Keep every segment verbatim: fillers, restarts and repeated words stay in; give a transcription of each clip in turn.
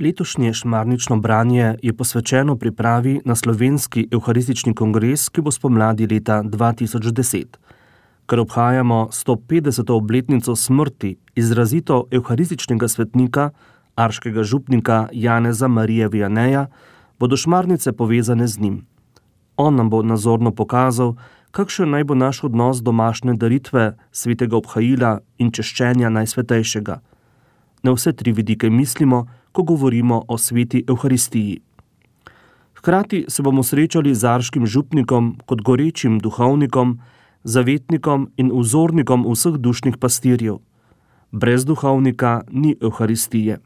Letošnje šmarnično branje je posvečeno pripravi na slovenski evharistični kongres, ki bo spomladi leta dva tisoč deset. Ker obhajamo sto petdeseto obletnico smrti izrazito evharističnega svetnika, arškega župnika Janeza Marije Vianeja, bodo šmarnice povezane z njim. On nam bo nazorno pokazal, kakšen naj bo naš odnos domašne daritve, svetega obhajila in češčenja najsvetejšega. Na vse tri vidike mislimo, ko govorimo o sveti evharistiji. Hkrati se bomo srečali z arškim župnikom kot gorečim duhovnikom, zavetnikom in vzornikom vseh dušnih pastirjev. Brez duhovnika ni evharistije.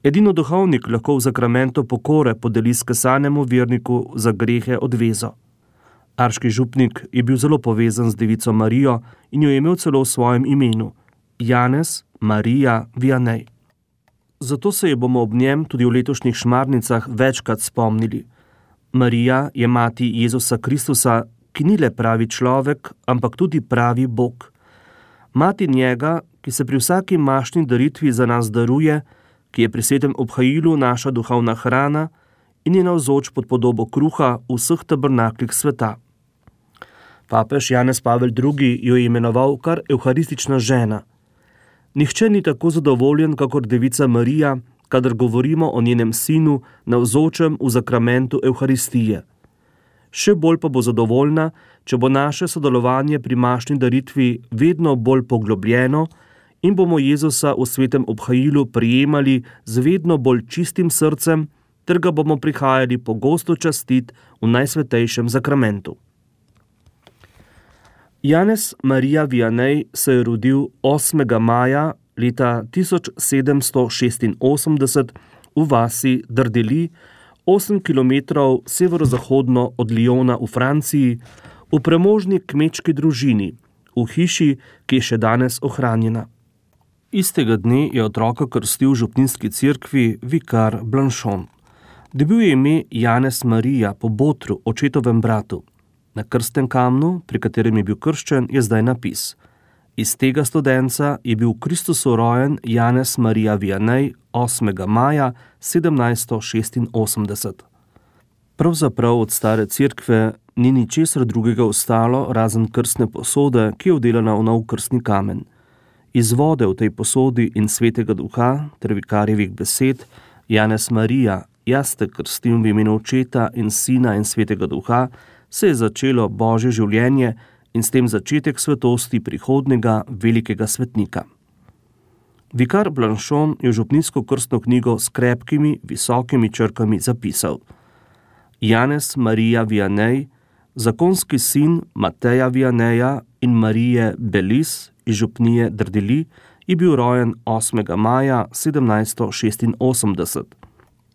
Edino duhovnik lahko v zakramentu pokore podeli skesanemu verniku za grehe odvezo. Arški župnik je bil zelo povezan z devico Marijo in jo je imel celo v svojem imenu – Janez Marija Vianej. Zato se je bomo ob njem tudi v letošnjih šmarnicah večkrat spomnili. Marija je mati Jezusa Kristusa, ki ni le pravi človek, ampak tudi pravi Bog. Mati njega, ki se pri vsaki mašni daritvi za nas daruje, ki je pri svetem obhajilu naša duhovna hrana in je navzoč pod podobo kruha v vseh tabernaklih sveta. Papež Janez Pavel drugi jo je imenoval kar evharistična žena. Nihče ni tako zadovoljen, kakor devica Marija, kadar govorimo o njenem sinu navzočem v zakramentu evharistije. Še bolj pa bo zadovoljna, če bo naše sodelovanje pri mašni daritvi vedno bolj poglobljeno in bomo Jezusa v svetem obhajilu prijemali z vedno bolj čistim srcem, ter ga bomo prihajali pogosto častit v najsvetejšem zakramentu. Janez Marija Vianej se je rodil osmega maja leta tisoč sedemsto šestinosemdeset v vasi Dardeli, osem kilometrov severozahodno od Lyona v Franciji, v premožni kmečki družini, v hiši, ki je še danes ohranjena. Istega dne je otroka krstil v župninski cerkvi vikar Blanchon. Dobil je ime Janez Marija po Botru, očetovem bratu. Na krstnem kamnu, pri katerem je bil krščen, je zdaj napis: Iz tega studenca je bil v Kristusu rojen Janez Marija Vianej osmega maja sedemnajststo šestinosemdeset. Pravzaprav od stare cerkve ni ničesar drugega ostalo, razen krstne posode, ki je vdelana v nov krstni kamen. Iz vode v tej posodi in svetega duha ter vikarjevih besed: Janez Marija, jaz te krstim v imenu Očeta in Sina in svetega duha, se je začelo Božje življenje in s tem začetek svetosti prihodnega velikega svetnika. Vikar Blanchon je v župninsko krstno knjigo s krepkimi, visokimi črkami zapisal: Janez Marija Vianej, zakonski sin Mateja Vianeja in Marije Belis iz župnije Dardeli, je bil rojen osmega maja sedemnajststo šestinosemdeset.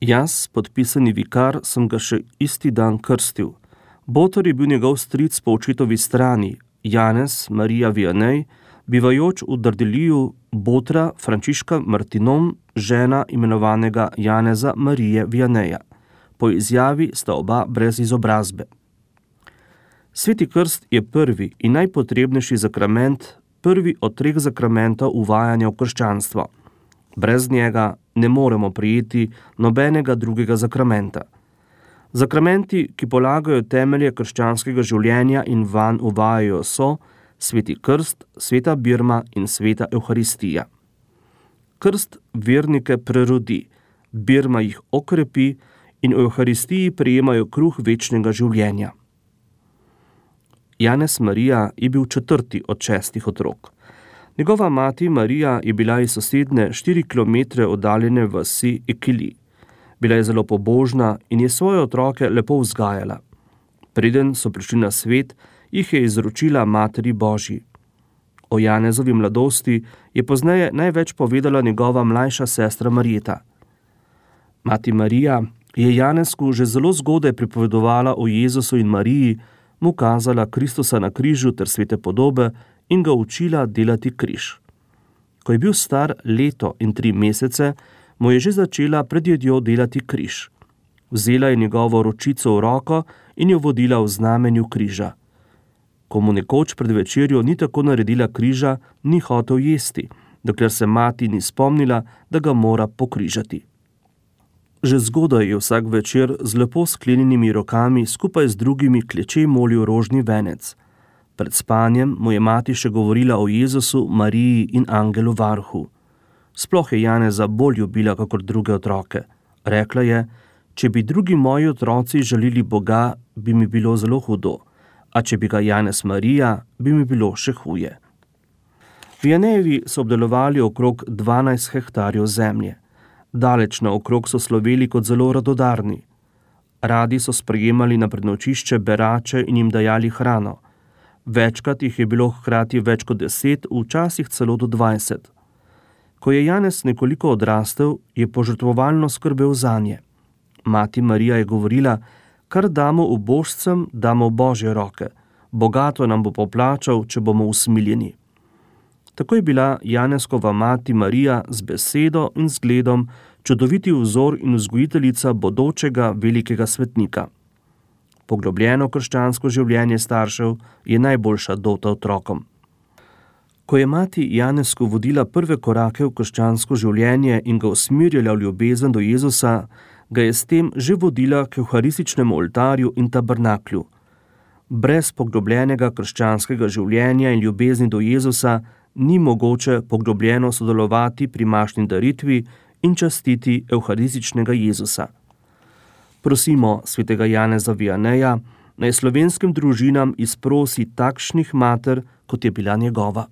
Jaz, podpisani vikar, sem ga še isti dan krstil. Botor je bil njegov stric po očetovi strani, Janez Marija Vianej, bivajoč v Dardeliju Botra Frančiška Martinon, žena imenovanega Janeza Marije Vianeja. Po izjavi sta oba brez izobrazbe. Sveti krst je prvi in najpotrebnejši zakrament, prvi od treh zakramentov uvajanja v krščanstvo. Brez njega ne moremo prijeti nobenega drugega zakramenta. Zakramenti, ki polagajo temelje krščanskega življenja in vanj uvajajo, so sveti krst, sveta birma in sveta evharistija. Krst vernike prerodi, birma jih okrepi in v evharistiji prejemajo kruh večnega življenja. Janez Marija je bil četrti od šestih otrok. Njegova mati Marija je bila iz sosedne štiri kilometre oddaljene vasi Ekili. Bila je zelo pobožna in je svoje otroke lepo vzgajala. Preden so prišli na svet, jih je izročila Materi Božji. O Janezovi mladosti je pozneje največ povedala njegova mlajša sestra Marjeta. Mati Marija je Janezku že zelo zgodaj pripovedovala o Jezusu in Mariji, mu kazala Kristusa na križu ter svete podobe in ga učila delati križ. Ko je bil star leto in tri mesece, mu je že začela pred jedjo delati križ. Vzela je njegovo ročico v roko in jo vodila v znamenju križa. Ko mu nekoč pred večerjo ni tako naredila križa, ni hotel jesti, dokler se mati ni spomnila, da ga mora pokrižati. Že zgodaj je vsak večer z lepo sklenjenimi rokami skupaj z drugimi kleče molil rožni venec. Pred spanjem mu je mati še govorila o Jezusu, Mariji in angelu varhu. Sploh je Janeza bolj ljubila kakor druge otroke. Rekla je, če bi drugi moji otroci želeli Boga, bi mi bilo zelo hudo, a če bi ga Janez Marija, bi mi bilo še huje. Vianejevi so obdelovali okrog dvanajst hektarjev zemlje. Daleč naokrog so sloveli kot zelo radodarni. Radi so sprejemali na prenočišče berače in jim dajali hrano. Večkrat jih je bilo hkrati več kot deset, včasih celo do dvajset. Ko je Janez nekoliko odrastel, je požrtvovalno skrbel zanje. Mati Marija je govorila, kar damo ubožcem, damo v Božje roke. Bogato nam bo poplačal, če bomo usmiljeni. Tako je bila Janezkova mati Marija z besedo in zgledom čudoviti vzor in vzgojiteljica bodočega velikega svetnika. Poglobljeno krščansko življenje staršev je najboljša dota otrokom. Ko je mati Janezku vodila prve korake v krščansko življenje in ga usmerjala v ljubezen do Jezusa, ga je s tem že vodila k evharističnemu oltarju in tabernaklju. Brez poglobljenega krščanskega življenja in ljubezni do Jezusa ni mogoče poglobljeno sodelovati pri mašni daritvi in častiti evharističnega Jezusa. Prosimo svetega Janeza Vianeja, naj slovenskim družinam izprosi takšnih mater, kot je bila njegova.